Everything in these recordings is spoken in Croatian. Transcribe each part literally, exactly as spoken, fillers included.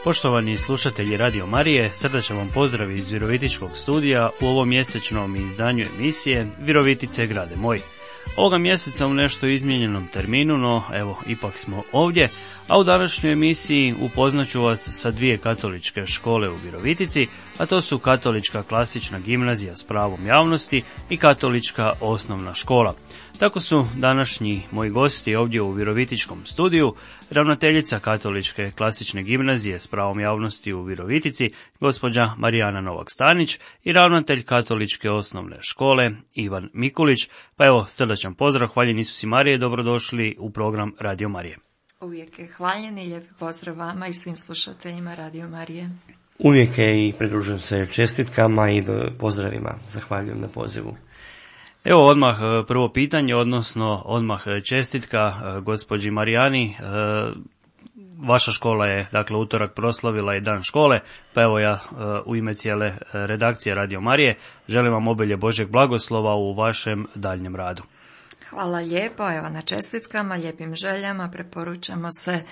Poštovani slušatelji Radio Marije, srdačan vam pozdrav iz Virovitičkog studija u ovom mjesečnom izdanju emisije Virovitice grade moj. Ovoga mjeseca u nešto izmijenjenom terminu, no evo, ipak smo ovdje, a u današnjoj emisiji upoznaću vas sa dvije katoličke škole u Virovitici, a to su Katolička klasična gimnazija s pravom javnosti i Katolička osnovna škola. Tako su današnji moji gosti ovdje u Virovitičkom studiju ravnateljica Katoličke klasične gimnazije s pravom javnosti u Virovitici, gospođa Marijana Novak-Stanić, i ravnatelj Katoličke osnovne škole Ivan Mikulić. Pa evo, srdačan pozdrav, hvaljen Isus i Marije, dobrodošli u program Radio Marije. Uvijek je hvaljen i lijepi pozdrav vama i svim slušateljima Radio Marije. Uvijek je i pridružujem se čestitkama i pozdravima. Zahvaljujem na pozivu. Evo odmah prvo pitanje, odnosno odmah čestitka gospođi Marijani. Vaša škola je, dakle, utorak proslavila i dan škole, pa evo ja u ime cijele redakcije Radio Marije želim vam obilje Božjeg blagoslova u vašem daljnjem radu. Hvala lijepo, evo na čestitkama, lijepim željama, preporučamo se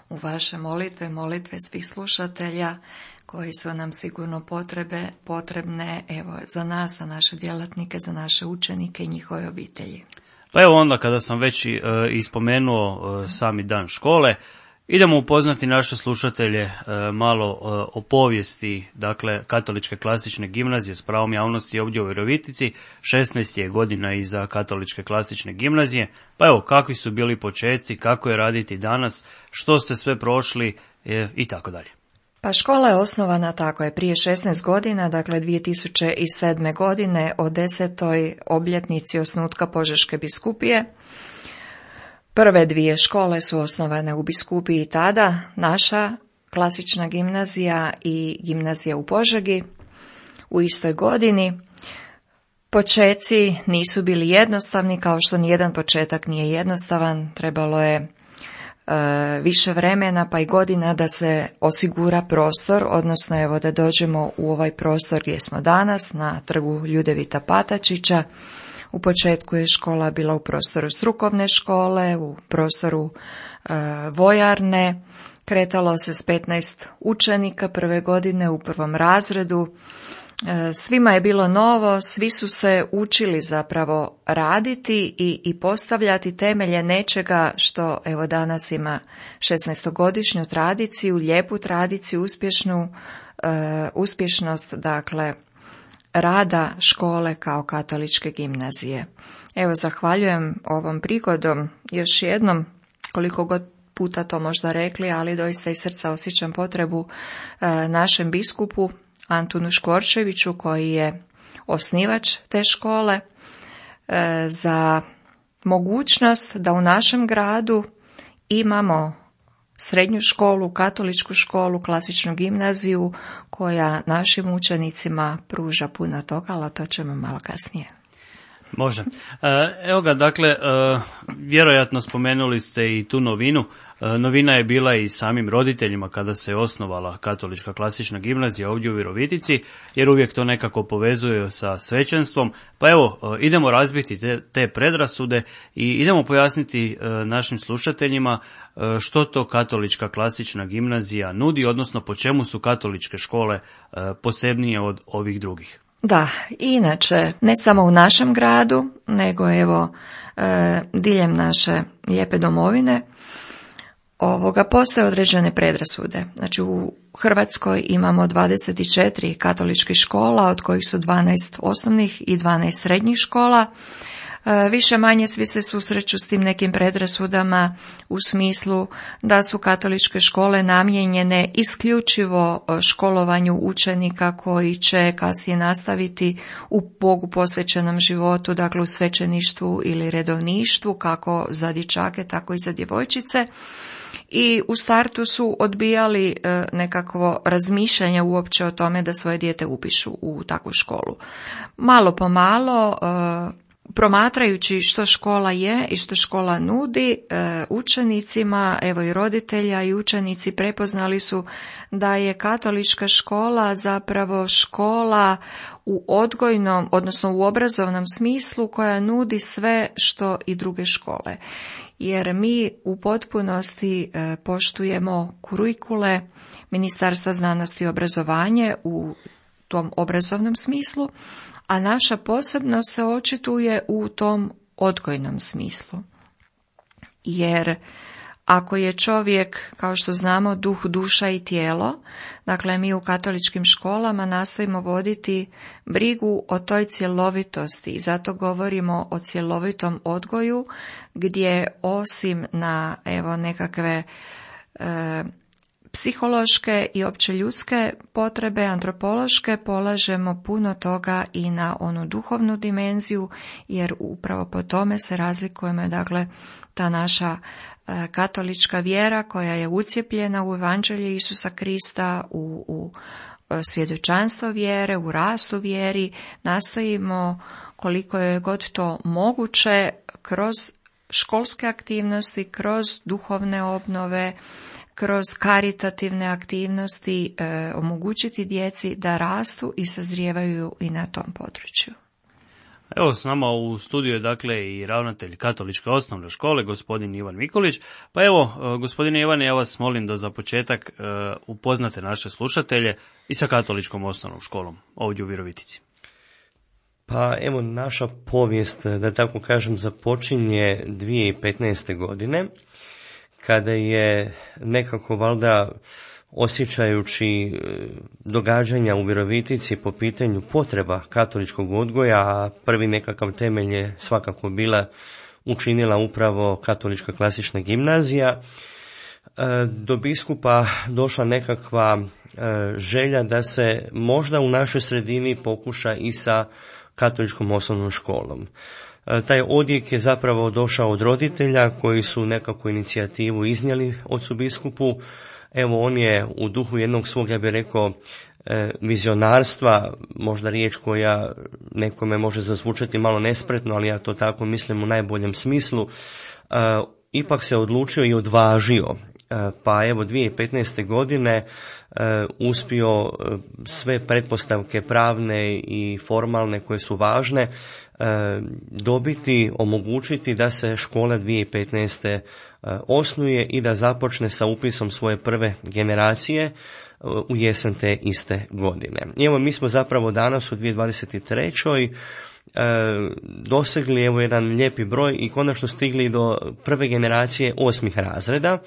u vaše molitve, molitve svih slušatelja koji su nam sigurno potrebe, potrebne evo, za nas, za naše djelatnike, za naše učenike i njihove obitelji. Pa evo onda kada sam već e, ispomenuo e, sami dan škole, idemo upoznati naše slušatelje e, malo e, o povijesti, dakle, Katoličke klasične gimnazije s pravom javnosti ovdje u Virovitici. šesnaest je godina iza Katoličke klasične gimnazije, pa evo kakvi su bili počeci, kako je raditi danas, što ste sve prošli e, i tako dalje. Pa škola je osnovana tako je prije šesnaest godina, dakle dvije tisuće sedme godine o desetoj obljetnici osnutka Požeške biskupije. Prve dvije škole su osnovane u biskupiji tada, naša klasična gimnazija i gimnazija u Požegi u istoj godini. Počeci nisu bili jednostavni, kao što nijedan početak nije jednostavan, trebalo je više vremena pa i godina da se osigura prostor, odnosno evo da dođemo u ovaj prostor gdje smo danas, na trgu Ljudevita Patačića. U početku je škola bila u prostoru strukovne škole, u prostoru e, vojarne, kretalo se s petnaest učenika prve godine u prvom razredu. Svima je bilo novo, svi su se učili zapravo raditi i, i postavljati temelje nečega što evo danas ima šesnaestogodišnju tradiciju, lijepu tradiciju, uspješnu, uh, uspješnost dakle rada škole kao katoličke gimnazije. Evo zahvaljujem ovom prigodom još jednom, koliko god puta to možda rekli, ali doista iz srca osjećam potrebu uh, našem biskupu Antunu Škvorčeviću, koji je osnivač te škole, e, za mogućnost da u našem gradu imamo srednju školu, katoličku školu, klasičnu gimnaziju, koja našim učenicima pruža puno toga, ali to ćemo malo kasnije. Može. Evo ga, dakle, vjerojatno spomenuli ste i tu novinu. Novina je bila i samim roditeljima kada se osnovala Katolička klasična gimnazija ovdje u Virovitici, jer uvijek to nekako povezuje sa svećenstvom. Pa evo, idemo razbiti te, te predrasude i idemo pojasniti našim slušateljima što to Katolička klasična gimnazija nudi, odnosno po čemu su katoličke škole posebnije od ovih drugih. Da, inače, ne samo u našem gradu, nego evo e, diljem naše lijepe domovine, ovoga postoje određene predrasude. Znači u Hrvatskoj imamo dvadeset četiri katoličkih škola, od kojih su dvanaest osnovnih i dvanaest srednjih škola. Više manje svi se susreću s tim nekim predrasudama u smislu da su katoličke škole namijenjene isključivo školovanju učenika koji će kasnije nastaviti u Bogu posvećenom životu, dakle u svećeništvu ili redovništvu, kako za dječake, tako i za djevojčice. I u startu su odbijali nekakvo razmišljanje uopće o tome da svoje dijete upišu u takvu školu. Malo po malo, promatrajući što škola je i što škola nudi učenicima, evo i roditelja i učenici prepoznali su da je katolička škola zapravo škola u odgojnom, odnosno u obrazovnom smislu koja nudi sve što i druge škole. jer mi u potpunosti poštujemo kurikule Ministarstva znanosti i obrazovanja u tom obrazovnom smislu, a naša posebnost se očituje u tom odgojnom smislu. Jer ako je čovjek, kao što znamo, duh, duša i tijelo, dakle mi u katoličkim školama nastojimo voditi brigu o toj cjelovitosti i zato govorimo o cjelovitom odgoju gdje osim na evo nekakve e, psihološke i opće ljudske potrebe, antropološke, polažemo puno toga i na onu duhovnu dimenziju, jer upravo po tome se razlikujemo, dakle, ta naša e, katolička vjera koja je ucijepljena u evanđelje Isusa Krista, u, u svjedočanstvo vjere, u rastu vjeri, nastojimo koliko je god to moguće kroz školske aktivnosti, kroz duhovne obnove, kroz karitativne aktivnosti e, omogućiti djeci da rastu i sazrijevaju i na tom području. Evo s nama u studiju je dakle i ravnatelj Katoličke osnovne škole, gospodin Ivan Mikulić. Pa evo, gospodine Ivane, ja vas molim da za početak e, upoznate naše slušatelje i sa Katoličkom osnovnom školom ovdje u Virovitici. Pa evo, naša povijest, da tako kažem, započinje dvije tisuće petnaeste. godine, kada je nekako valjda osjećajući događanja u Virovitici po pitanju potreba katoličkog odgoja, a prvi nekakav temelj je svakako bila učinila upravo Katolička klasična gimnazija, do biskupa došla nekakva želja da se možda u našoj sredini pokuša i sa Katoličkom osnovnom školom. Taj odjek je zapravo došao od roditelja koji su nekakvu inicijativu iznijeli ocu biskupu. Evo, on je u duhu jednog svog, ja bih rekao, vizionarstva, možda riječ koja nekome može zazvučati malo nespretno, ali ja to tako mislim u najboljem smislu, ipak se odlučio i odvažio. Pa evo, dvije tisuće petnaeste. godine uspio sve pretpostavke pravne i formalne koje su važne dobiti, omogućiti da se škola dvije tisuće petnaeste. osnuje i da započne sa upisom svoje prve generacije u jesen te iste godine. I evo, mi smo zapravo danas u dvije tisuće dvadeset trećoj dosegli evo jedan lijepi broj i konačno stigli do prve generacije osmih razreda.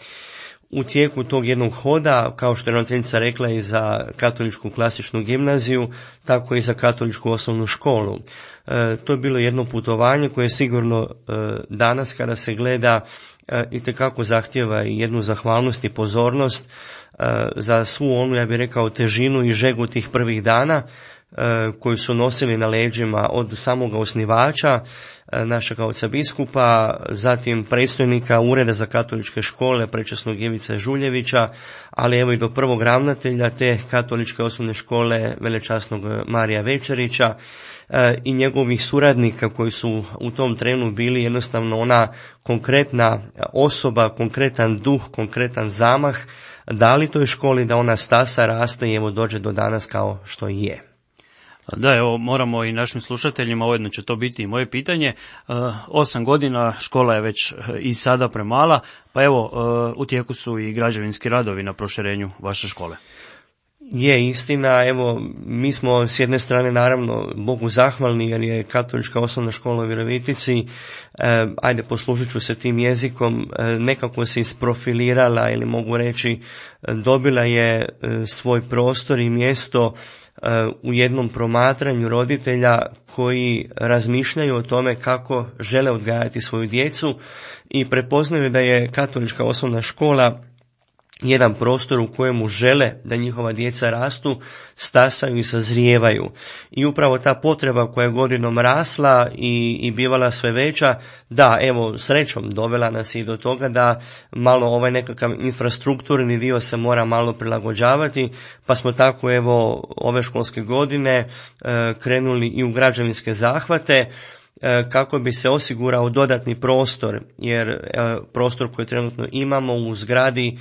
U tijeku tog jednog hoda, kao što je ravnateljica rekla, i za Katoličku klasičnu gimnaziju, tako i za Katoličku osnovnu školu. E, to je bilo jedno putovanje koje sigurno e, danas kada se gleda e, itekako zahtjeva i jednu zahvalnost i pozornost e, za svu onu, ja bih rekao, težinu i žegu tih prvih dana e, koju su nosili na leđima od samoga osnivača, našega oca biskupa, zatim predstojnika Ureda za katoličke škole, prečasnog Ivice Žuljevića, ali evo i do prvog ravnatelja te Katoličke osnovne škole, velečasnog Marija Večerića, i njegovih suradnika koji su u tom trenu bili jednostavno ona konkretna osoba, konkretan duh, konkretan zamah, dali toj školi da ona stasa, raste i evo dođe do danas kao što je. Da, evo, moramo i našim slušateljima, ujedno će to biti i moje pitanje. Osam godina, škola je već i sada premala, pa evo, u tijeku su i građevinski radovi na proširenju vaše škole. Je istina, evo, mi smo s jedne strane naravno Bogu zahvalni jer je Katolička osnovna škola u Virovitici, eh, ajde poslužit ću se tim jezikom, eh, nekako se isprofilirala ili mogu reći dobila je eh, svoj prostor i mjesto u jednom promatranju roditelja koji razmišljaju o tome kako žele odgajati svoju djecu i prepoznaju da je Katolička osnovna škola jedan prostor u kojemu žele da njihova djeca rastu, stasaju i sazrijevaju. I upravo ta potreba koja je godinom rasla i, i bivala sve veća, da, evo, srećom dovela nas i do toga da malo ovaj nekakav infrastrukturni dio se mora malo prilagođavati, pa smo tako evo ove školske godine e, krenuli i u građevinske zahvate. kako bi se osigurao dodatni prostor, jer prostor koji trenutno imamo u zgradi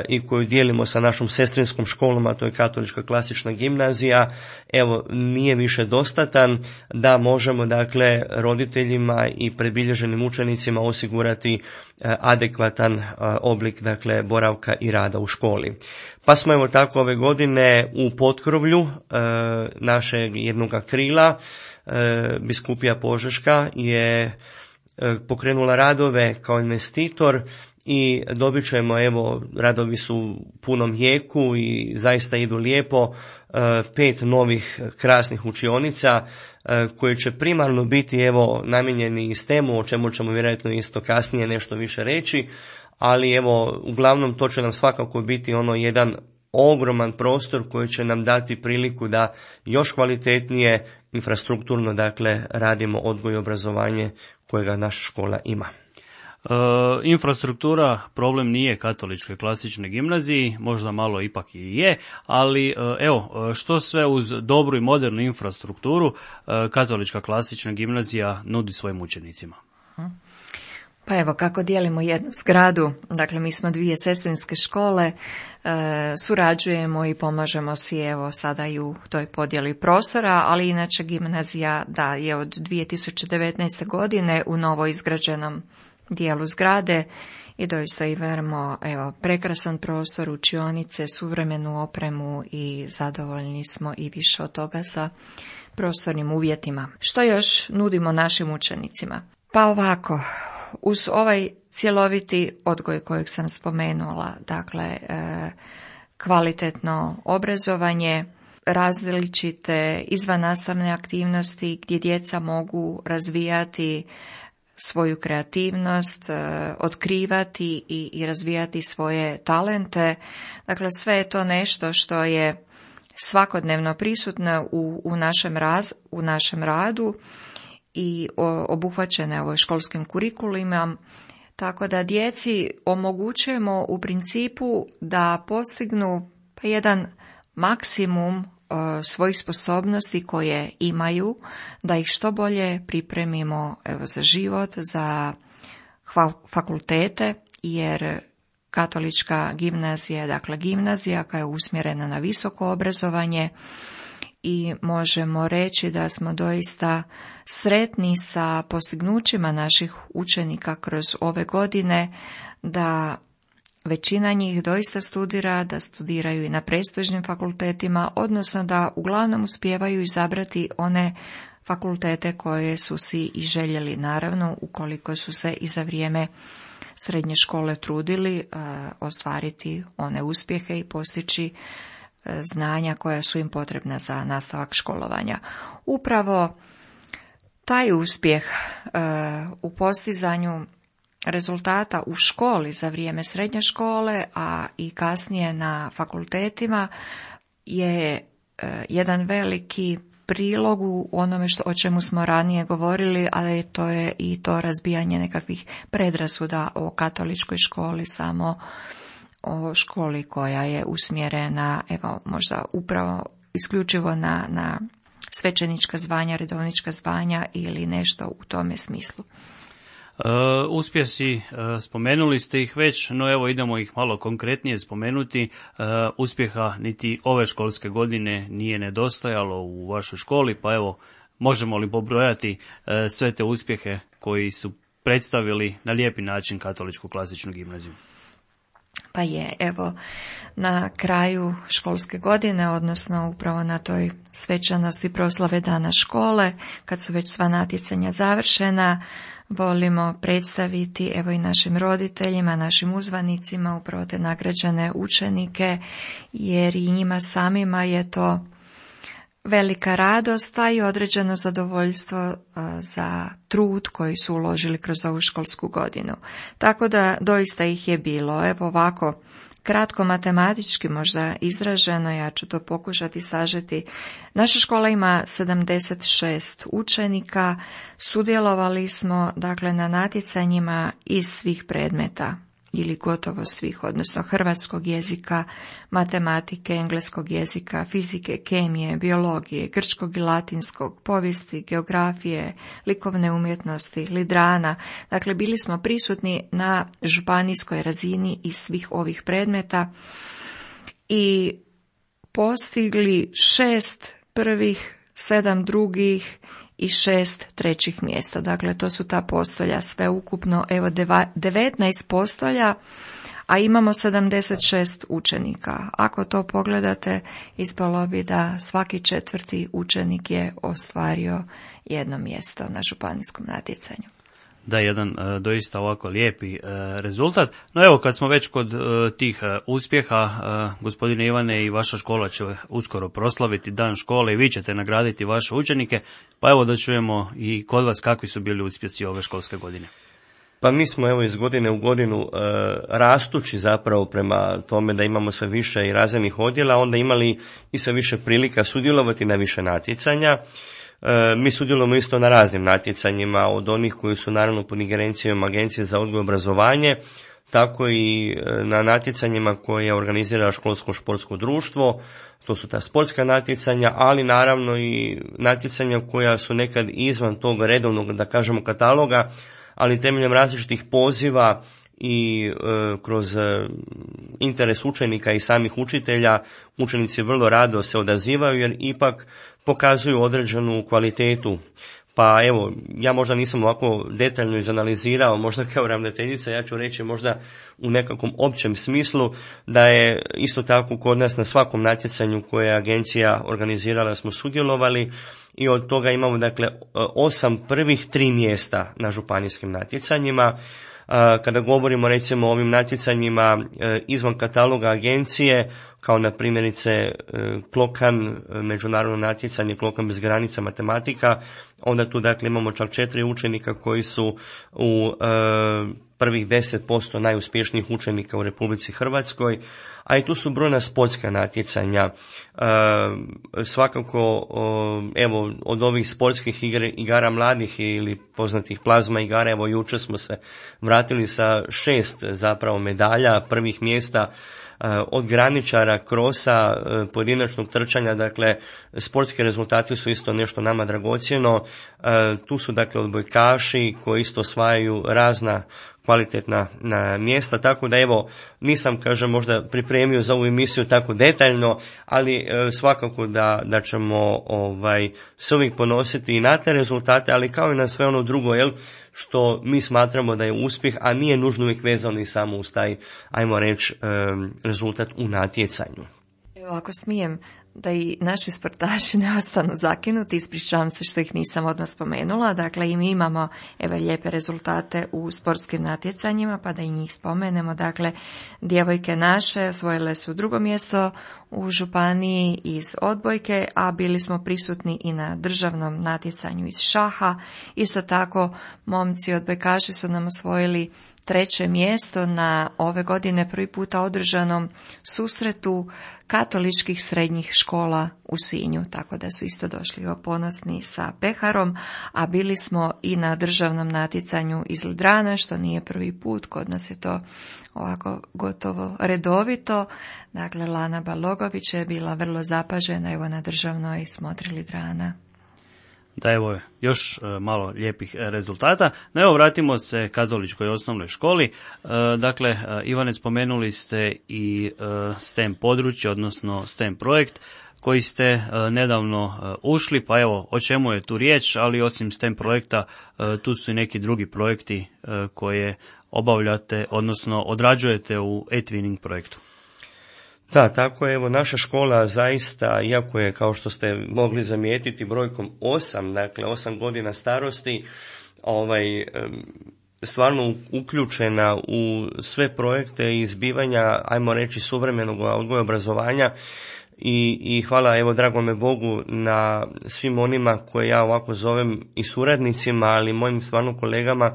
i koju dijelimo sa našom sestrinskom školom, a to je Katolička klasična gimnazija, evo nije više dostatan da možemo dakle roditeljima i predbilježenim učenicima osigurati adekvatan oblik dakle boravka i rada u školi. Pa smo evo tako ove godine u potkrovlju našeg jednog krila Biskupija Požeška je pokrenula radove kao investitor i dobit ćemo, evo, radovi su u punom jeku i zaista idu lijepo, pet novih krasnih učionica koje će primarno biti, evo, namijenjeni S T E M-u, o čemu ćemo vjerojatno isto kasnije nešto više reći, ali evo, uglavnom to će nam svakako biti ono jedan ogroman prostor koji će nam dati priliku da još kvalitetnije infrastrukturno dakle radimo odgoj i obrazovanje kojega naša škola ima. E, infrastruktura problem nije Katoličkoj klasičnoj gimnaziji, možda malo ipak i je, ali evo, što sve uz dobru i modernu infrastrukturu Katolička klasična gimnazija nudi svojim učenicima? Pa evo, kako dijelimo jednu zgradu, dakle mi smo dvije sestrinske škole, e, surađujemo i pomažemo si evo sada i u toj podjeli prostora, ali inače gimnazija da je od dvije tisuće devetnaeste. godine u novo izgrađenom dijelu zgrade i doista imamo evo prekrasan prostor, učionice, suvremenu opremu i zadovoljni smo i više od toga sa prostornim uvjetima. Što još nudimo našim učenicima? Pa ovako, uz ovaj cjeloviti odgoj kojeg sam spomenula, dakle e, kvalitetno obrazovanje, različite izvannastavne aktivnosti gdje djeca mogu razvijati svoju kreativnost, e, otkrivati i, i razvijati svoje talente. Dakle, sve je to nešto što je svakodnevno prisutno u, u, našem, raz, u našem radu i obuhvaćene ovo školskim kurikulima, tako da djeci omogućujemo u principu da postignu pa jedan maksimum svojih sposobnosti koje imaju, da ih što bolje pripremimo evo, za život, za fakultete, jer Katolička gimnazija, dakle gimnazija koja je usmjerena na visoko obrazovanje, i možemo reći da smo doista sretni sa postignućima naših učenika kroz ove godine, da većina njih doista studira, da studiraju i na prestižnim fakultetima, odnosno da uglavnom uspijevaju izabrati one fakultete koje su si i željeli, naravno ukoliko su se i za vrijeme srednje škole trudili uh, ostvariti one uspjehe i postići znanja koja su im potrebna za nastavak školovanja. Upravo taj uspjeh e, u postizanju rezultata u školi za vrijeme srednje škole, a i kasnije na fakultetima je e, jedan veliki prilog u onome što, o čemu smo ranije govorili, ali to je i to razbijanje nekakvih predrasuda o katoličkoj školi, samo o školi koja je usmjerena, evo, možda upravo isključivo na, na svećenička zvanja, redovnička zvanja ili nešto u tome smislu. Uh, uspjesi, uh, spomenuli ste ih već, no evo idemo ih malo konkretnije spomenuti. Uh, uspjeha niti ove školske godine nije nedostajalo u vašoj školi, pa evo, možemo li pobrojati uh, sve te uspjehe koji su predstavili na lijepi način Katoličku klasičnu gimnaziju? Pa je, evo, na kraju školske godine, odnosno upravo na toj svečanosti proslave dana škole, kad su već sva natjecanja završena, volimo predstaviti evo i našim roditeljima, našim uzvanicima, upravo te nagrađene učenike, jer i njima samima je to velika radost, a i određeno zadovoljstvo za trud koji su uložili kroz ovu školsku godinu. Tako da doista ih je bilo. Evo ovako, kratko matematički možda izraženo, ja ću to pokušati sažeti. Naša škola ima sedamdeset šest učenika, sudjelovali smo dakle na natjecanjima iz svih predmeta. ili gotovo svih, odnosno hrvatskog jezika, matematike, engleskog jezika, fizike, kemije, biologije, grčkog i latinskog, povijesti, geografije, likovne umjetnosti, lidrana. Dakle, bili smo prisutni na županijskoj razini iz svih ovih predmeta i postigli šest prvih, sedam drugih i šest trećih mjesta. Dakle, to su ta postolja sve ukupno, evo devetnaest postolja, a imamo sedamdeset šest učenika. Ako to pogledate, ispalo bi da svaki četvrti učenik je ostvario jedno mjesto na županijskom natjecanju. Da, jedan e, doista ovako lijepi e, rezultat. No evo, kad smo već kod e, tih e, uspjeha, e, gospodine Ivane, i vaša škola će uskoro proslaviti dan škole i vi ćete nagraditi vaše učenike, pa evo da čujemo i kod vas kakvi su bili uspjesi ove školske godine. Pa mi smo evo iz godine u godinu e, rastući zapravo prema tome da imamo sve više i razrednih odjela, onda imali i sve više prilika sudjelovati na više natjecanja. E, mi sudjelujemo isto na raznim natjecanjima, od onih koji su naravno pod ingerencijom Agencije za odgoj i obrazovanje, tako i na natjecanjima koje organizira školsko športsko društvo. To su ta sportska natjecanja, ali naravno i natjecanja koja su nekad izvan tog redovnog, da kažemo, kataloga, ali temeljem različitih poziva i e, kroz e, interes učenika i samih učitelja, učenici vrlo rado se odazivaju jer ipak pokazuju određenu kvalitetu. Pa evo, ja možda nisam ovako detaljno izanalizirao, možda kao ravnateljica, ja ću reći možda u nekakvom općem smislu da je isto tako kod nas na svakom natjecanju koje je agencija organizirala smo sudjelovali i od toga imamo dakle osam prvih tri mjesta na županijskim natjecanjima. Kada govorimo recimo o ovim natjecanjima izvan kataloga agencije, kao na primjerice Klokan, međunarodno natjecanje Klokan bez granica matematika, onda tu dakle imamo čak četiri učenika koji su u prvih deset posto najuspješnijih učenika u Republici Hrvatskoj, a i tu su brojna sportska natjecanja. Svakako, evo, od ovih sportskih igre, igara mladih ili poznatih plazma igara, evo jučer smo se vratili sa šest zapravo medalja, prvih mjesta, od graničara, krosa, pojedinačnog trčanja, dakle sportski rezultati su isto nešto nama dragocjeno. Tu su dakle odbojkaši koji isto osvajaju razna kvalitetna na mjesta, tako da evo nisam, kažem, možda pripremio za ovu emisiju tako detaljno, ali e, svakako da, da ćemo ovaj, se uvijek ponositi i na te rezultate, ali kao i na sve ono drugo, jel, što mi smatramo da je uspjeh, a nije nužno uvijek vezano i samo uz taj, ajmo reći, e, rezultat u natjecanju. Evo, ako smijem, da i naši sportaši ne ostanu zakinuti, ispričavam se što ih nisam odmah spomenula, dakle i mi imamo evo lijepe rezultate u sportskim natjecanjima, pa da i njih spomenemo. Dakle, djevojke naše osvojile su drugo mjesto u županiji iz odbojke, a bili smo prisutni i na državnom natjecanju iz šaha. Isto tako, momci odbojkaši su nam osvojili treće mjesto na ove godine prvi puta održanom susretu katoličkih srednjih škola u Sinju, tako da su isto došli ponosni sa peharom, a bili smo i na državnom natjecanju iz Lidrana, što nije prvi put, kod nas je to ovako gotovo redovito. Dakle, Lana Balogović je bila vrlo zapažena evo na državnoj smotri Lidrana. Da, evo još malo lijepih rezultata. No evo, vratimo se katoličkoj osnovnoj školi. Dakle, Ivane, spomenuli ste i STEM područje, odnosno STEM projekt koji ste nedavno ušli, pa evo, o čemu je tu riječ, ali osim STEM projekta, tu su i neki drugi projekti koje obavljate, odnosno odrađujete u e-twinning projektu. Da, tako je, evo naša škola zaista, iako je, kao što ste mogli zamijetiti, brojkom osam, dakle osam godina starosti, ovaj, stvarno uključena u sve projekte i zbivanja, ajmo reći, suvremenog odgoja obrazovanja i, i hvala, evo, dragome Bogu na svim onima koje ja ovako zovem i suradnicima, ali mojim stvarno kolegama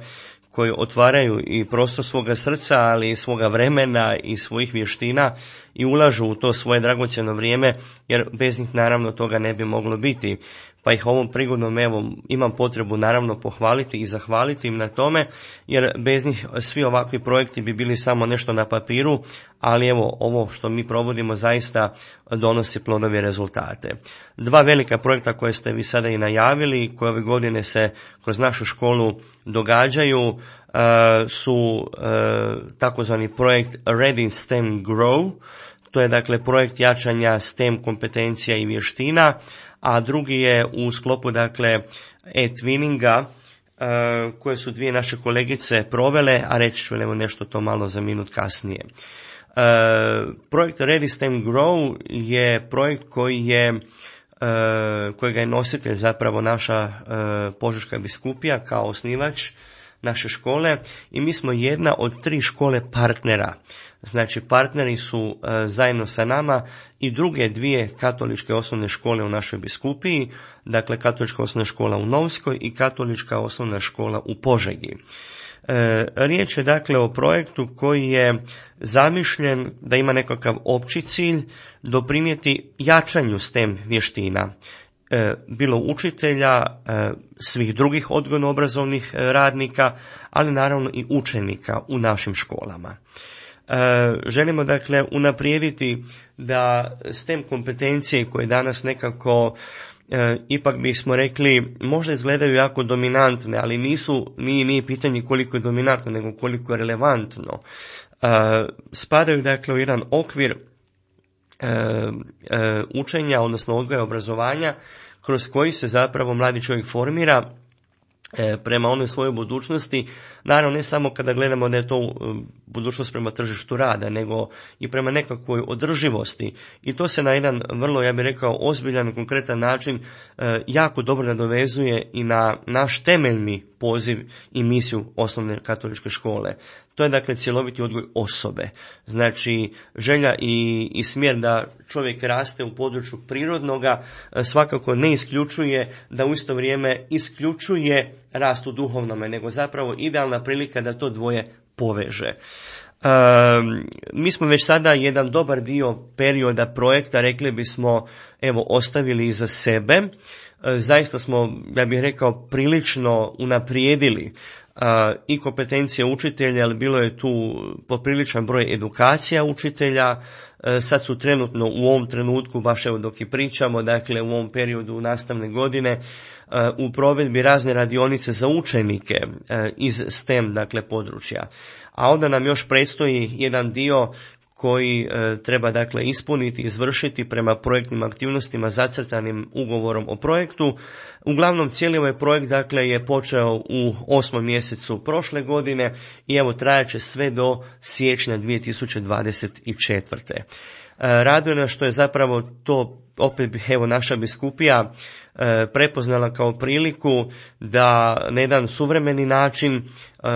koji otvaraju i prostor svoga srca, ali i svoga vremena i svojih vještina i ulažu u to svoje dragocjeno vrijeme, jer bez njih naravno toga ne bi moglo biti. pa ih ovom prigodom evo imam potrebu naravno pohvaliti i zahvaliti im na tome, jer bez njih svi ovakvi projekti bi bili samo nešto na papiru, ali evo ovo što mi provodimo zaista donosi plodove rezultate. Dva velika projekta koje ste vi sada i najavili, koje ove godine se kroz našu školu događaju, uh, su uh, takozvani projekt Ready STEM Grow. To je dakle projekt jačanja STEM kompetencija i vještina, a drugi je u sklopu dakle e-twinninga uh, koje su dvije naše kolegice provele, a reći ću evo nešto to malo za minut kasnije. Uh, projekt Ready STEM Grow je projekt koji je uh, kojega je nositelj zapravo naša uh, Požeška biskupija kao osnivač naše škole, i mi smo jedna od tri škole partnera. Znači partneri su e, zajedno sa nama i druge dvije katoličke osnovne škole u našoj biskupiji, dakle katolička osnovna škola u Novskoj i katolička osnovna škola u Požegi. E, riječ je dakle o projektu koji je zamišljen da ima nekakav opći cilj doprinijeti jačanju STEM vještina, bilo učitelja, svih drugih odgojno-obrazovnih radnika, ali naravno i učenika u našim školama. Želimo dakle unaprijediti da STEM kompetencije koje danas nekako ipak bismo rekli možda izgledaju jako dominantne, ali nisu, nije, nije pitanje koliko je dominantno, nego koliko je relevantno. Spadaju dakle u jedan okvir E, e, učenja, odnosno odgoja i obrazovanja, kroz koji se zapravo mladi čovjek formira e, prema onoj svojoj budućnosti, naravno ne samo kada gledamo da je to e, budućnost prema tržištu rada, nego i prema nekakvoj održivosti, i to se na jedan vrlo, ja bih rekao, ozbiljan, konkretan način e, jako dobro nadovezuje i na naš temeljni poziv i misiju osnovne katoličke škole. To je dakle cjeloviti odgoj osobe. Znači želja i, i smjer da čovjek raste u području prirodnoga svakako ne isključuje da u isto vrijeme isključuje rast u duhovnome, nego zapravo idealna prilika da to dvoje poveže. E, mi smo već sada jedan dobar dio perioda projekta, rekli bismo, evo ostavili iza sebe. E, zaista smo, ja bih rekao, prilično unaprijedili Uh, i kompetencije učitelja, ali bilo je tu popriličan broj edukacija učitelja. Uh, sad su trenutno u ovom trenutku, baš evo dok i pričamo, dakle u ovom periodu nastavne godine, uh, u provedbi razne radionice za učenike uh, iz STEM dakle područja. A onda nam još predstoji jedan dio koji e, treba dakle ispuniti, izvršiti prema projektnim aktivnostima zacrtanim ugovorom o projektu. Uglavnom cijeli ovaj projekt dakle je počeo u osmom mjesecu prošle godine i evo trajaće sve do siječnja dvije tisuće dvadeset četvrte. E, raduje nas što je zapravo to opet evo naša biskupija e, prepoznala kao priliku da na jedan suvremeni način e,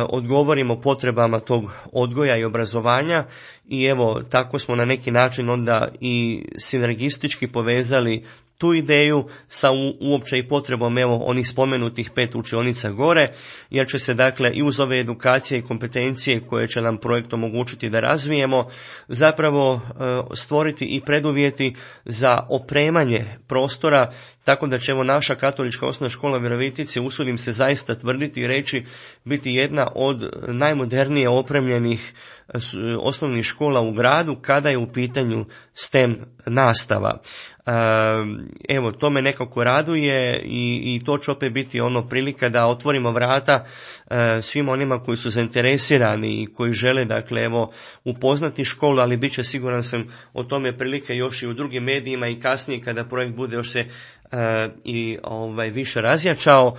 odgovorimo potrebama tog odgoja i obrazovanja, i evo tako smo na neki način onda i sinergistički povezali tu ideju sa u, uopće i potrebom evo onih spomenutih pet učionica gore, jer će se dakle i uz ove edukacije i kompetencije koje će nam projekt omogućiti da razvijemo zapravo e, stvoriti i preduvjeti za opremanje prostora, tako da će evo naša katolička osnovna škola u Virovitici, usudim se zaista tvrditi i reći, biti jedna od najmodernije opremljenih osnovnih škola u gradu kada je u pitanju STEM nastava. Evo, to me nekako raduje i, i to će opet biti ono prilika da otvorimo vrata svima onima koji su zainteresirani i koji žele dakle evo upoznati školu, ali bit će, siguran sam, o tome prilike još i u drugim medijima i kasnije kada projekt bude još se Uh, i ovaj više razjačao, uh,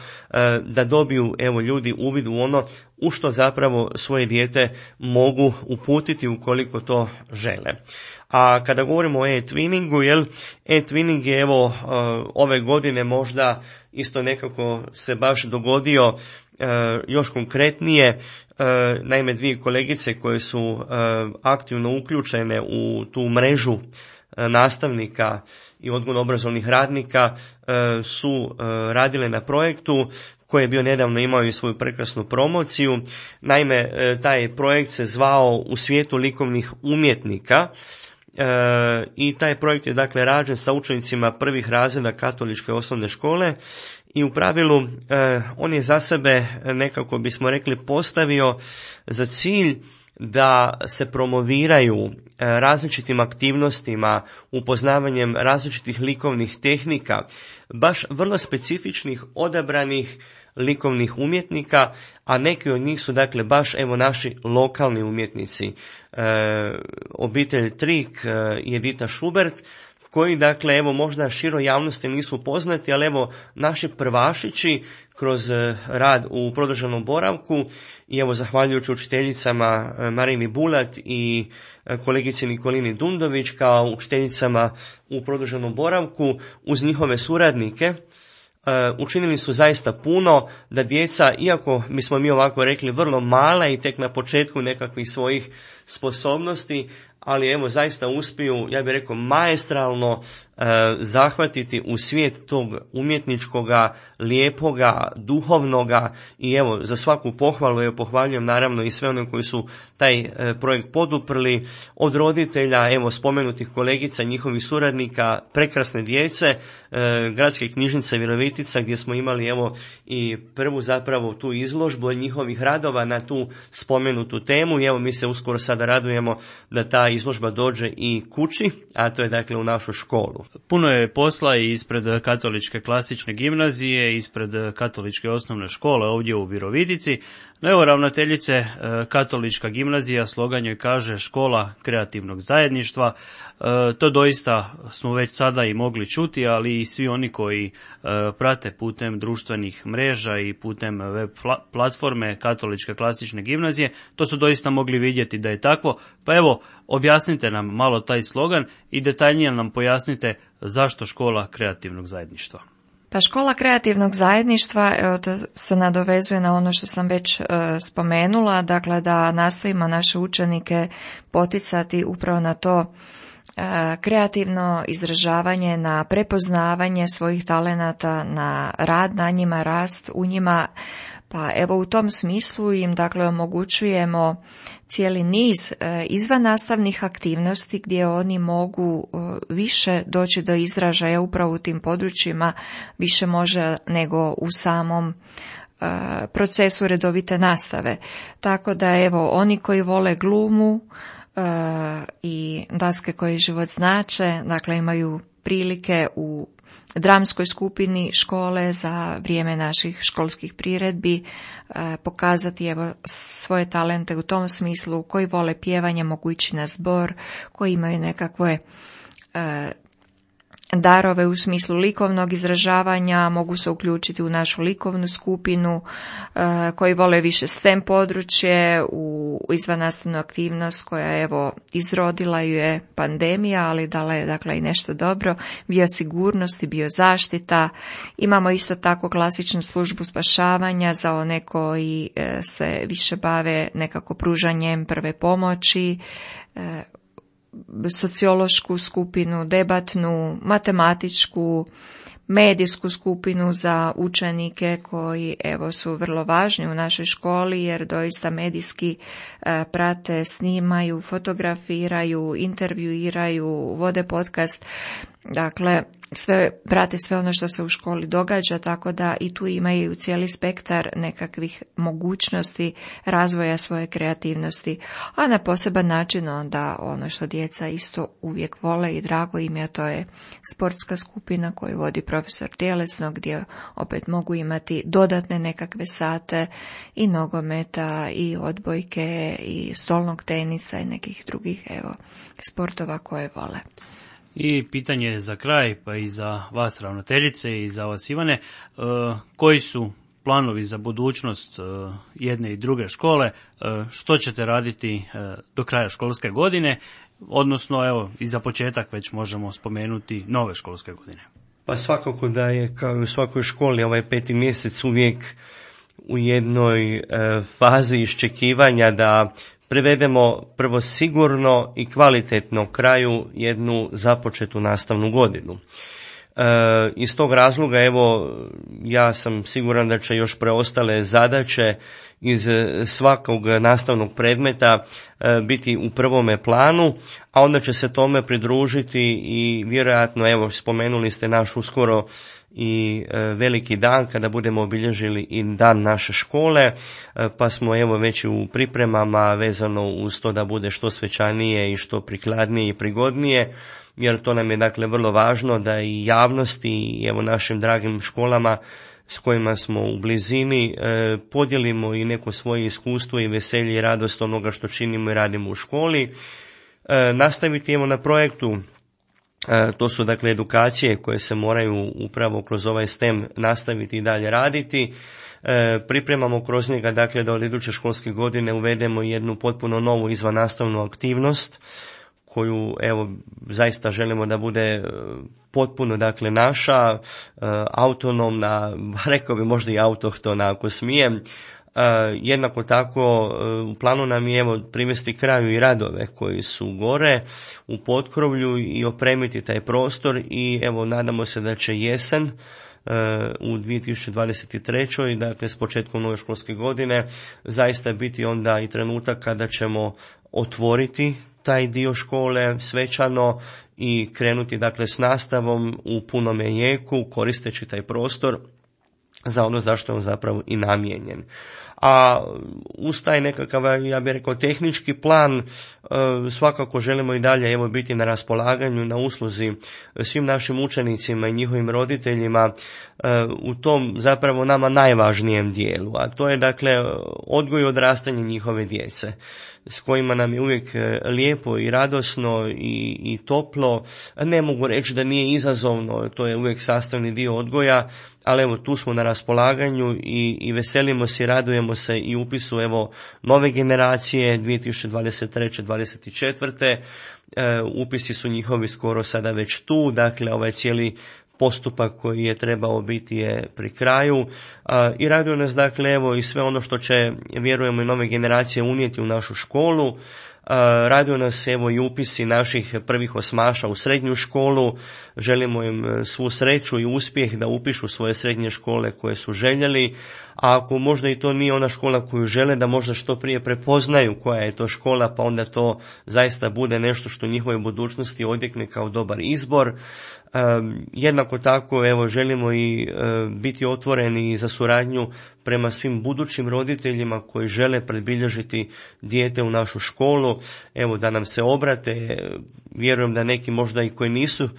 da dobiju evo ljudi uvid u ono u što zapravo svoje dijete mogu uputiti ukoliko to žele. A kada govorimo o e-twinningu, jel, e-twinning je evo uh, ove godine možda isto nekako se baš dogodio uh, još konkretnije. Uh, naime, dvije kolegice koje su uh, aktivno uključene u tu mrežu uh, nastavnika i odgojno-obrazovnih radnika e, su e, radile na projektu koji je bio nedavno imao i svoju prekrasnu promociju. Naime, e, taj projekt se zvao U svijetu likovnih umjetnika i taj projekt je dakle rađen sa učenicima prvih razreda katoličke osnovne škole i u pravilu e, on je za sebe, nekako bismo rekli, postavio za cilj da se promoviraju različitim aktivnostima, upoznavanjem različitih likovnih tehnika, baš vrlo specifičnih odabranih likovnih umjetnika, a neki od njih su dakle baš evo naši lokalni umjetnici. E, obitelj Trik e, i Edita Šubert, koji dakle evo možda široj javnosti nisu poznati, ali evo naši prvašići kroz rad u produženom boravku i evo zahvaljujući učiteljicama Marini Bulat i kolegici Nikolini Dundović kao učiteljicama u produženom boravku uz njihove suradnike učinili su zaista puno da djeca, iako bismo mi ovako rekli vrlo mala i tek na početku nekakvih svojih sposobnosti, ali evo zaista uspiju, ja bih rekao, maestralno e, zahvatiti u svijet tog umjetničkoga, lijepoga, duhovnoga i evo za svaku pohvalu, evo pohvaljujem naravno i sve one koji su taj e, projekt poduprli, od roditelja, evo spomenutih kolegica, njihovih suradnika, prekrasne djece, e, Gradske knjižnice Virovitica gdje smo imali evo i prvu zapravo tu izložbu njihovih radova na tu spomenutu temu i evo mi se uskoro sada radujemo da ta izložba dođe i kući, a to je dakle u našu školu. Puno je posla i ispred katoličke klasične gimnazije, ispred katoličke osnovne škole ovdje u Virovitici. No evo ravnateljice, katolička gimnazija, slogan joj kaže škola kreativnog zajedništva. To doista smo već sada i mogli čuti, ali i svi oni koji prate putem društvenih mreža i putem web platforme katoličke klasične gimnazije, to su doista mogli vidjeti da je tako. Pa evo, objasnite nam malo taj slogan i detaljnije nam pojasnite zašto škola kreativnog zajedništva. Pa škola kreativnog zajedništva, evo, to se nadovezuje na ono što sam već e, spomenula, dakle da nastojimo naše učenike poticati upravo na to e, kreativno izražavanje, na prepoznavanje svojih talenata, na rad na njima, rast u njima. Pa evo u tom smislu im dakle omogućujemo cijeli niz e, izvannastavnih aktivnosti gdje oni mogu e, više doći do izražaja upravo u tim područjima, više može nego u samom e, procesu redovite nastave. Tako da evo oni koji vole glumu e, i daske koje život znače, dakle imaju prilike u dramskoj skupini škole za vrijeme naših školskih priredbi e, pokazati evo svoje talente u tom smislu, koji vole pjevanje mogu ići na zbor, koji imaju nekakve e, darove u smislu likovnog izražavanja, mogu se uključiti u našu likovnu skupinu, e, koji vole više STEM područje, u izvannastavnu aktivnost koja evo izrodila ju je pandemija, ali dala je dakle i nešto dobro, biosigurnost i biozaštita. Imamo isto tako klasičnu službu spašavanja za one koji e, se više bave nekako pružanjem prve pomoći, e, sociološku skupinu, debatnu, matematičku, medijsku skupinu za učenike koji evo su vrlo važni u našoj školi jer doista medijski e, prate, snimaju, fotografiraju, intervjuiraju, vode podcast. Dakle, sve prate sve ono što se u školi događa, tako da i tu imaju cijeli spektar nekakvih mogućnosti razvoja svoje kreativnosti, a na poseban način onda ono što djeca isto uvijek vole i drago im je, to je sportska skupina koju vodi profesor tjelesno, gdje opet mogu imati dodatne nekakve sate i nogometa i odbojke i stolnog tenisa i nekih drugih evo sportova koje vole. I pitanje za kraj, pa i za vas ravnateljice i za vas Ivane, koji su planovi za budućnost jedne i druge škole, što ćete raditi do kraja školske godine, odnosno evo i za početak već možemo spomenuti nove školske godine. Pa svakako da je kao i u svakoj školi ovaj peti mjesec uvijek u jednoj e, fazi iščekivanja da prevedemo prvo sigurno i kvalitetno kraju jednu započetu nastavnu godinu. E, iz tog razloga, evo, ja sam siguran da će još preostale zadaće iz svakog nastavnog predmeta e, biti u prvome planu, a onda će se tome pridružiti i vjerojatno, evo, spomenuli ste naš uskoro i e, veliki dan kada budemo obilježili i dan naše škole, e, pa smo evo već u pripremama vezano uz to da bude što svečanije i što prikladnije i prigodnije, jer to nam je dakle vrlo važno da i javnosti i evo našim dragim školama s kojima smo u blizini e, podijelimo i neko svoje iskustvo i veselje i radost onoga što činimo i radimo u školi. E, nastaviti evo na projektu, e, to su dakle edukacije koje se moraju upravo kroz ovaj S T E M nastaviti i dalje raditi. E, pripremamo kroz njega dakle da od iduće školske godine uvedemo jednu potpuno novu izvannastavnu aktivnost koju evo zaista želimo da bude potpuno dakle naša, autonomna, rekao bi možda i autohtona ako smijem. Jednako tako u planu nam je evo privesti kraju i radove koji su gore u potkrovlju i opremiti taj prostor i evo nadamo se da će jesen u dvije tisuće dvadeset trećoj dakle s početkom nove školske godine zaista biti onda i trenutak kada ćemo otvoriti taj dio škole svečano i krenuti dakle s nastavom u punome jeku koristeći taj prostor za ono zašto je on zapravo i namijenjen. A uz taj nekakav, ja bih rekao, tehnički plan svakako želimo i dalje evo biti na raspolaganju, na usluzi svim našim učenicima i njihovim roditeljima u tom zapravo nama najvažnijem dijelu, a to je dakle odgoj i odrastanje njihove djece, s kojima nam je uvijek lijepo i radosno i, i toplo. Ne mogu reći da nije izazovno, to je uvijek sastavni dio odgoja, ali evo tu smo na raspolaganju i, i veselimo se i radujemo se i upisu evo nove generacije dvije tisuće dvadeset treće dvadeset četvrte E, upisi su njihovi skoro sada već tu, dakle ovaj cijeli postupak koji je trebao biti je pri kraju a, i raduje nas dakle evo i sve ono što će vjerujemo i nove generacije unijeti u našu školu. Raduje nas evo i upisi naših prvih osmaša u srednju školu, želimo im svu sreću i uspjeh da upišu svoje srednje škole koje su željeli, a ako možda i to nije ona škola koju žele, da možda što prije prepoznaju koja je to škola, pa onda to zaista bude nešto što u njihovoj budućnosti odjekne kao dobar izbor. Um, jednako tako evo želimo i uh, biti otvoreni za suradnju prema svim budućim roditeljima koji žele predbilježiti dijete u našu školu, evo da nam se obrate. Vjerujem da neki možda i koji nisu uh,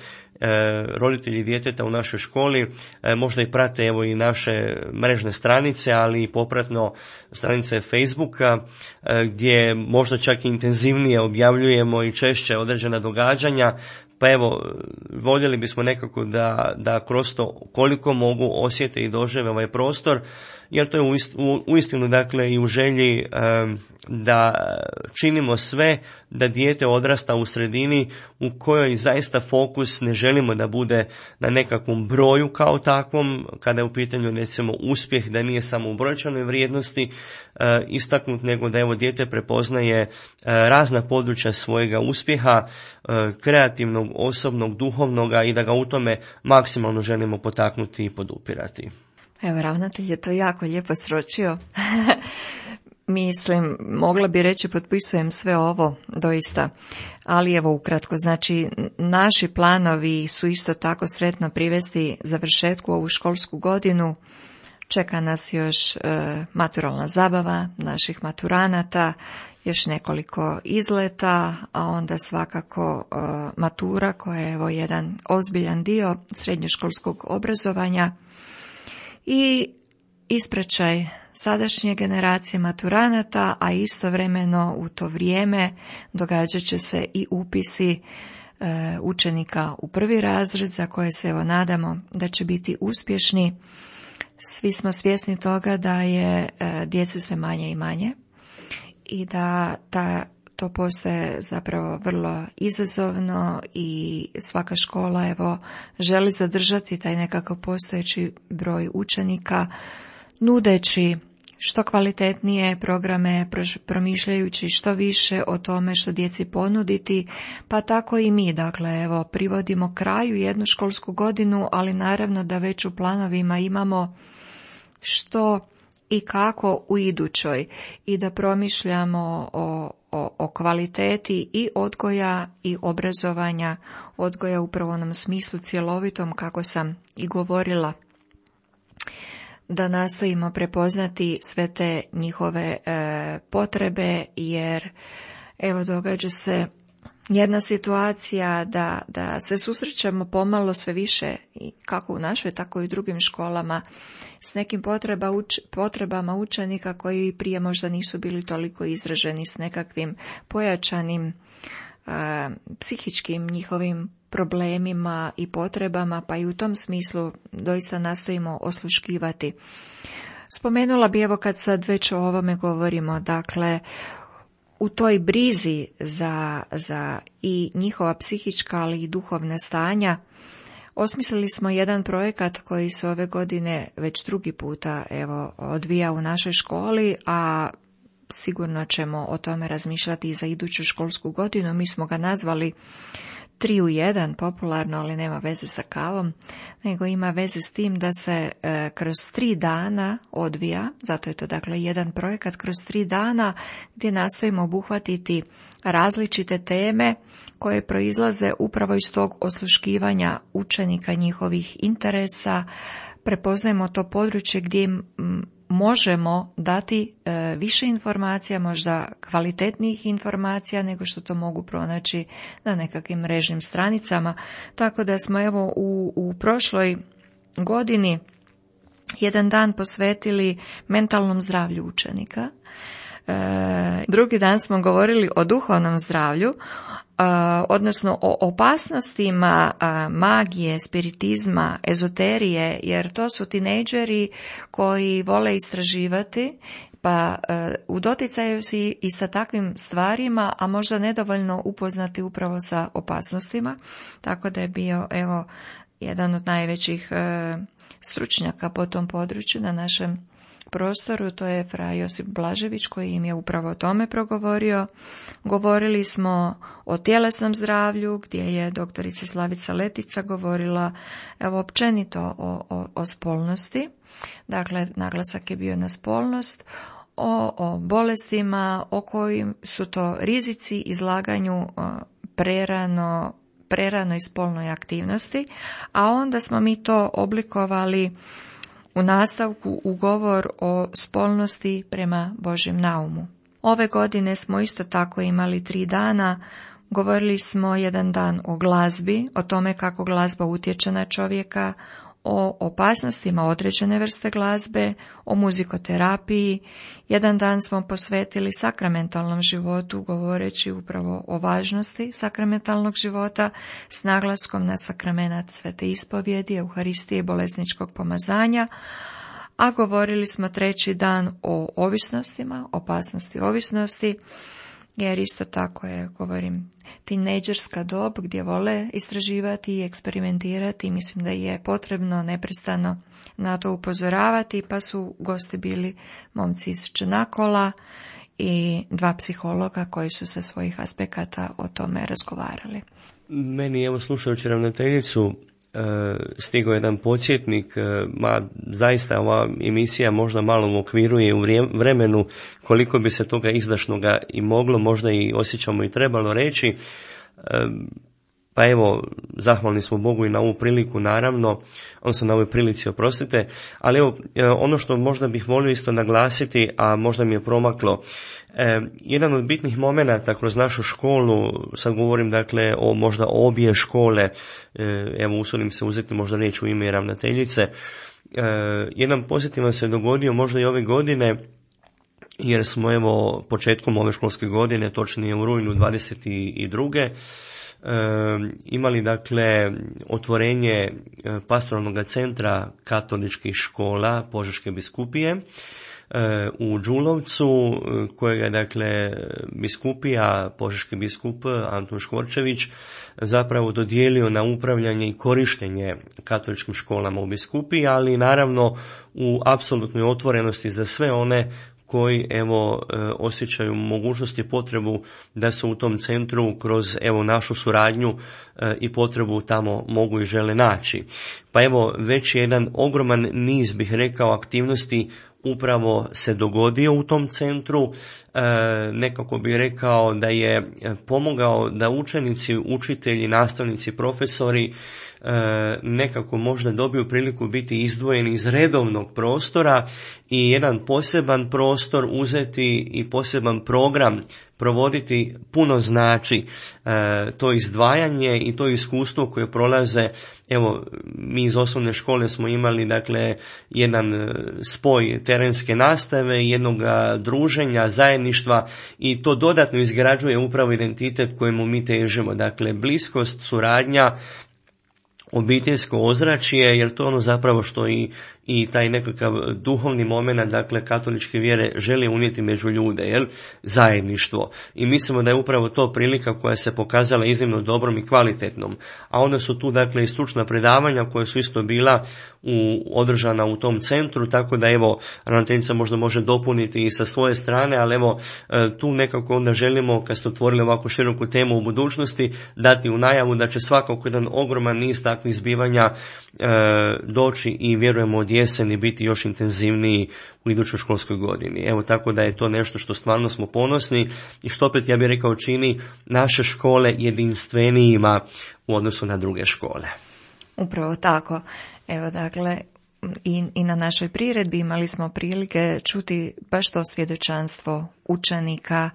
roditelji djeteta u našoj školi uh, možda i prate evo i naše mrežne stranice, ali i popratno stranice Facebooka uh, gdje možda čak i intenzivnije objavljujemo i češće određena događanja. Pa evo, voljeli bismo nekako da, da kroz to koliko mogu osjete i dožive ovaj prostor, jer to je uistinu dakle i u želji um, da činimo sve da dijete odrasta u sredini u kojoj zaista fokus ne želimo da bude na nekakvom broju kao takvom, kada je u pitanju recimo uspjeh, da nije samo u brojčanoj vrijednosti uh, istaknut, nego da evo dijete prepoznaje uh, razna područja svojega uspjeha, uh, kreativnog, osobnog, duhovnoga i da ga u tome maksimalno želimo potaknuti i podupirati. Evo, ravnatelj je to jako lijepo sročio. Mislim, mogla bi reći, potpisujem sve ovo, doista. Ali evo ukratko, znači naši planovi su isto tako sretno privesti završetku ovu školsku godinu. Čeka nas još e, maturalna zabava naših maturanata, još nekoliko izleta, a onda svakako e, matura koja je evo jedan ozbiljan dio srednjoškolskog obrazovanja. I ispraćaj sadašnje generacije maturanata, a istovremeno u to vrijeme događat će se i upisi e, učenika u prvi razred, za koje se evo nadamo da će biti uspješni. Svi smo svjesni toga da je e, djece sve manje i manje i da ta to postaje zapravo vrlo izazovno i svaka škola evo želi zadržati taj nekakav postojeći broj učenika, nudeći što kvalitetnije programe, promišljajući što više o tome što djeci ponuditi, pa tako i mi, dakle, evo, privodimo kraju jednu školsku godinu, ali naravno da već u planovima imamo što i kako u idućoj i da promišljamo o, o, o kvaliteti i odgoja i obrazovanja, odgoja upravo u onom smislu cjelovitom, kako sam i govorila, da nastojimo prepoznati sve te njihove e, potrebe, jer evo događa se jedna situacija da, da se susrećemo pomalo sve više, kako u našoj, tako i u drugim školama, s nekim potreba, uč, potrebama učenika koji prije možda nisu bili toliko izraženi, s nekakvim pojačanim e, psihičkim njihovim problemima i potrebama, pa i u tom smislu doista nastojimo osluškivati. Spomenula bi, evo kad sad već o ovome govorimo, dakle, u toj brizi za, za i njihova psihička, ali i duhovna stanja, osmislili smo jedan projekat koji se ove godine već drugi puta evo odvija u našoj školi, a sigurno ćemo o tome razmišljati i za iduću školsku godinu. Mi smo ga nazvali tri u jedan, popularno, ali nema veze sa kavom, nego ima veze s tim da se e, kroz tri dana odvija, zato je to dakle jedan projekat kroz tri dana gdje nastojimo obuhvatiti različite teme koje proizlaze upravo iz tog osluškivanja učenika, njihovih interesa. Prepoznajemo to područje gdje im možemo dati e, više informacija, možda kvalitetnijih informacija nego što to mogu pronaći na nekakvim mrežnim stranicama. Tako da smo evo u, u prošloj godini jedan dan posvetili mentalnom zdravlju učenika. E, drugi dan smo govorili o duhovnom zdravlju, Uh, odnosno o opasnostima uh, magije, spiritizma, ezoterije, jer to su tinejdžeri koji vole istraživati, pa uh, u doticaju si i sa takvim stvarima, a možda nedovoljno upoznati upravo sa opasnostima, tako da je bio evo jedan od najvećih uh, stručnjaka po tom području na našem prostoru, to je fra Josip Blažević koji im je upravo o tome progovorio. Govorili smo o tjelesnom zdravlju gdje je doktorica Slavica Letica govorila evo općenito o, o, o spolnosti, dakle naglasak je bio na spolnost, o, o bolestima, o kojim su to rizici izlaganju prerano preranoj spolnoj aktivnosti, a onda smo mi to oblikovali u nastavku u govor o spolnosti prema Božjem naumu. Ove godine smo isto tako imali tri dana. Govorili smo jedan dan o glazbi, o tome kako glazba utječe na čovjeka, o opasnostima određene vrste glazbe, o muzikoterapiji. Jedan dan smo posvetili sakramentalnom životu, govoreći upravo o važnosti sakramentalnog života s naglaskom na sakramenat svete ispovjedi, Euharistije i bolesničkog pomazanja, a govorili smo treći dan o ovisnostima, opasnosti ovisnosti, jer isto tako je, govorim, tinejdžerska dob gdje vole istraživati i eksperimentirati. Mislim da je potrebno neprestano na to upozoravati, pa su gosti bili momci iz Čenakola i dva psihologa koji su sa svojih aspekata o tome razgovarali. Meni, evo slušajući ravnateljicu, stigao jedan podsjetnik, ma zaista ova emisija možda malo uokviruje u vremenu koliko bi se toga izdašnoga i moglo, možda i osjećamo i trebalo reći. Pa evo, zahvalni smo Bogu i na ovu priliku, naravno, odnosno na ovoj prilici, oprostite, ali evo, ono što možda bih volio isto naglasiti, a možda mi je promaklo, eh, jedan od bitnih momenata kroz našu školu, sad govorim dakle o možda obje škole, eh, evo usudim se uzeti možda riječ u ime ravnateljice, eh, jedan pozitivan se dogodio možda i ove godine, jer smo evo početkom ove školske godine, točnije u rujnu dvadeset druge E, imali dakle otvorenje pastoralnog centra katoličkih škola Požeške biskupije. u Đulovcu, kojega je dakle biskupija, požeški biskup Antun Škvorčević zapravo dodijelio na upravljanje i korištenje katoličkim školama u biskupiji, ali naravno u apsolutnoj otvorenosti za sve one koji evo osjećaju mogućnost i potrebu da se u tom centru kroz evo našu suradnju i potrebu tamo mogu i žele naći. Pa evo već je jedan ogroman niz, bih rekao, aktivnosti upravo se dogodio u tom centru. E, nekako bih rekao da je pomogao da učenici, učitelji, nastavnici, profesori e, nekako možda dobiju priliku biti izdvojeni iz redovnog prostora i jedan poseban prostor uzeti i poseban program provoditi puno znači e, to izdvajanje i to iskustvo koje prolaze. Evo, mi iz osnovne škole smo imali dakle jedan spoj terenske nastave, jednog druženja, zajedništva i to dodatno izgrađuje upravo identitet kojemu mi težimo. Dakle, bliskost, suradnja, obiteljsko ozračje, jer to je ono zapravo što i, i taj nekakav duhovni moment, dakle katoličke vjere želi unijeti među ljude, jel? Zajedništvo. I mislimo da je upravo to prilika koja se pokazala iznimno dobrom i kvalitetnom. A onda su tu dakle i stručna predavanja koja su isto bila u, održana u tom centru, tako da evo ravnateljica možda može dopuniti i sa svoje strane, ali evo tu nekako onda želimo, kad ste otvorili ovako široku temu u budućnosti, dati u najavu da će svakako jedan ogroman niz takvih zbivanja e, doći i vjerujemo od jeseni biti još intenzivniji u idućoj školskoj godini. Evo, tako da je to nešto što stvarno smo ponosni i što opet, ja bih rekao, čini naše škole jedinstvenijima u odnosu na druge škole. Upravo tako. Evo, dakle, i, i na našoj priredbi imali smo prilike čuti baš to svjedočanstvo učenika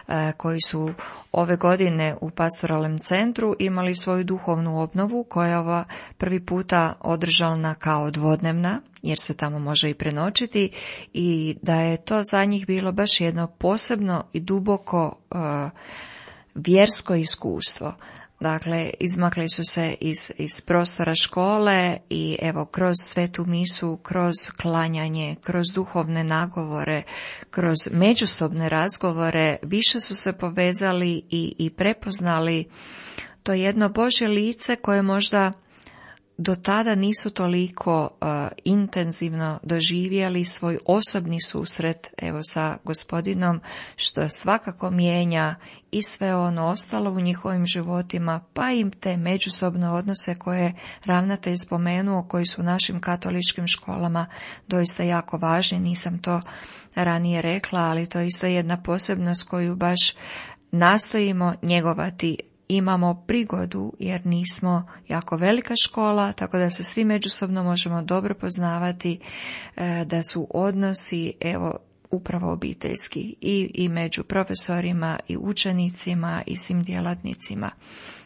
e, koji su ove godine u pastoralnom centru imali svoju duhovnu obnovu koja je ova prvi puta održana kao dvodnevna, jer se tamo može i prenoćiti, i da je to za njih bilo baš jedno posebno i duboko e, vjersko iskustvo. Dakle, izmakli su se iz, iz prostora škole i evo kroz svetu misu, kroz klanjanje, kroz duhovne nagovore, kroz međusobne razgovore više su se povezali i, i prepoznali to jedno Božje lice koje možda do tada nisu toliko uh, intenzivno doživjeli svoj osobni susret evo sa Gospodinom, što svakako mijenja i sve ono ostalo u njihovim životima, pa im te međusobne odnose koje ravnatelj spomenuo, koji su u našim katoličkim školama doista jako važni. Nisam to ranije rekla, ali to je isto jedna posebnost koju baš nastojimo njegovati. Imamo prigodu jer nismo jako velika škola, tako da se svi međusobno možemo dobro poznavati, da su odnosi evo upravo obiteljski i, i među profesorima i učenicima i svim djelatnicima.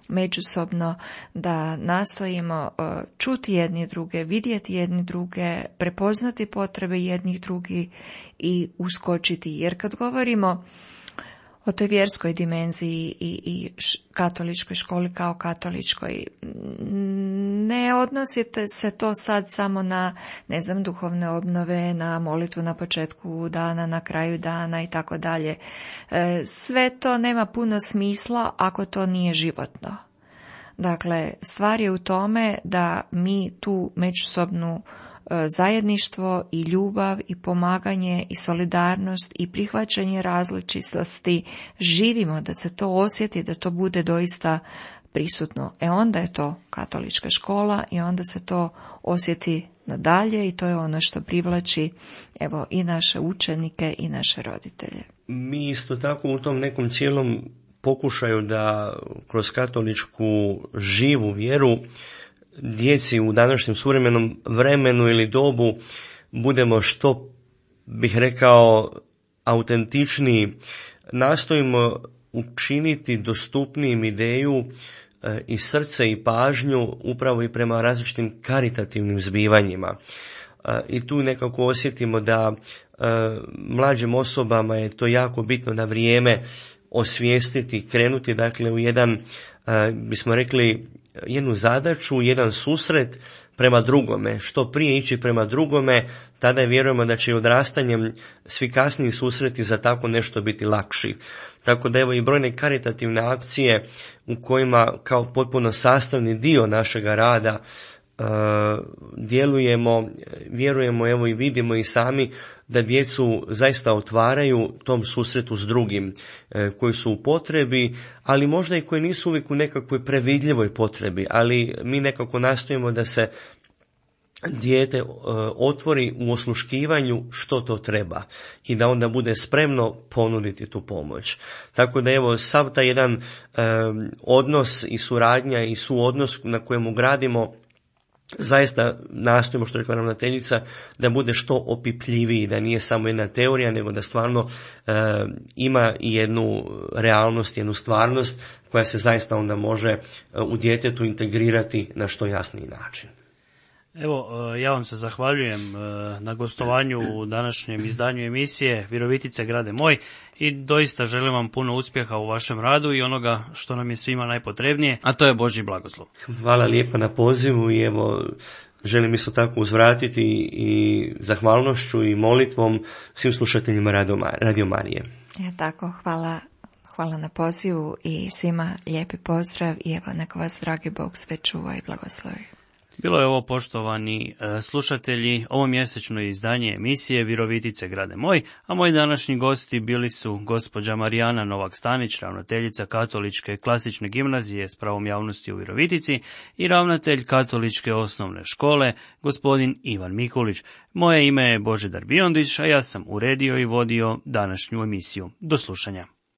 Međusobno da nastojimo čuti jedni druge, vidjeti jedni druge, prepoznati potrebe jednih drugih i uskočiti. Jer kad govorimo o toj vjerskoj dimenziji i, i katoličkoj školi kao katoličkoj, ne odnosite se to sad samo na, ne znam, duhovne obnove, na molitvu na početku dana, na kraju dana i tako dalje. Sve to nema puno smisla ako to nije životno. Dakle, stvar je u tome da mi tu međusobnu zajedništvo i ljubav i pomaganje i solidarnost i prihvaćanje različitosti živimo, da se to osjeti, da to bude doista prisutno. E onda je to katolička škola i onda se to osjeti nadalje i to je ono što privlači evo i naše učenike i naše roditelje. Mi isto tako u tom nekom cijelom pokušaju da kroz katoličku živu vjeru djeci u današnjem suvremenom vremenu ili dobu budemo, što bih rekao, autentičniji, nastojimo učiniti dostupnijim ideju e, i srce i pažnju upravo i prema različitim karitativnim zbivanjima. E, I tu nekako osjetimo da e, mlađim osobama je to jako bitno na vrijeme osvijestiti, krenuti dakle u jedan, e, bismo rekli, jednu zadaću, jedan susret prema drugome. Što prije ići prema drugome, tada vjerujemo da će i odrastanjem svi kasniji susreti za tako nešto biti lakši. Tako da evo i brojne karitativne akcije u kojima kao potpuno sastavni dio našega rada Uh, djelujemo, vjerujemo, evo i vidimo i sami da djecu zaista otvaraju tom susretu s drugim uh, koji su u potrebi, ali možda i koji nisu uvijek u nekakvoj previdljivoj potrebi, ali mi nekako nastojimo da se dijete uh, otvori u osluškivanju što to treba i da onda bude spremno ponuditi tu pomoć. Tako da evo sav taj jedan uh, odnos i suradnja i suodnos na kojemu gradimo, zaista nastojimo, što rekla ravnateljica, da bude što opipljiviji, da nije samo jedna teorija, nego da stvarno e, ima i jednu realnost, jednu stvarnost koja se zaista onda može u djetetu integrirati na što jasniji način. Evo, ja vam se zahvaljujem na gostovanju u današnjem izdanju emisije Virovitice grade moj i doista želim vam puno uspjeha u vašem radu i onoga što nam je svima najpotrebnije, a to je Božji blagoslov. Hvala lijepa na pozivu i evo želim isto tako uzvratiti i zahvalnošću i molitvom svim slušateljima Radio Marije. Ja tako, hvala. Hvala na pozivu i svima lijepi pozdrav i evo neka vas dragi Bog sve čuva i blagoslovi. Bilo je ovo, poštovani e, slušatelji, ovo mjesečno izdanje emisije Virovitice grade moj, a moji današnji gosti bili su gospođa Marijana Novak-Stanić, ravnateljica Katoličke klasične gimnazije s pravom javnosti u Virovitici i ravnatelj Katoličke osnovne škole, gospodin Ivan Mikulić. Moje ime je Božidar Biondić, a ja sam uredio i vodio današnju emisiju. Do slušanja.